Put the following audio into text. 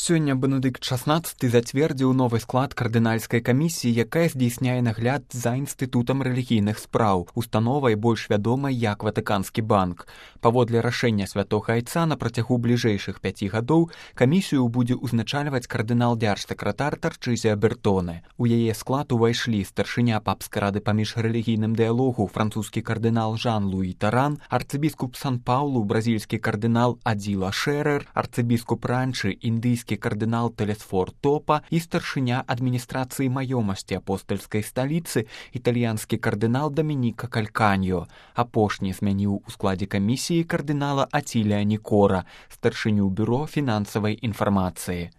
Сёння Бенедыкт XVI зацвердзіў новы склад кардынальскай камісіі, якая здзейсняе нагляд за інстытутам рэлігійных спраў, установай больш вядомай як Ватыканскі банк. Паводле рашэння святога айца на працягу бліжэйшых 5 гадоў камісію будзе ўзначальваць кардынал-дзяржсакратар Тарчызія Бертоне. У яе склад увайшлі старшыня папскай рады па міжрэлігійным дыялогу французскі кардынал Жан-Луі Таран, арцыбіскуп Сан-Паулу бразільскі кардынал Адзіла Шэрэр, арцыбіскуп Ранчы індыйскі кардынал Телесфор Топа і старшыня адміністрацыі маёмасці апостальскай сталіцы італьянскі кардынал Дамініка Кальканьо. Апошні змяніў у складзе камісіі кардынала Ацілія Нікора, старшыню бюро фінансавай інфармацыі.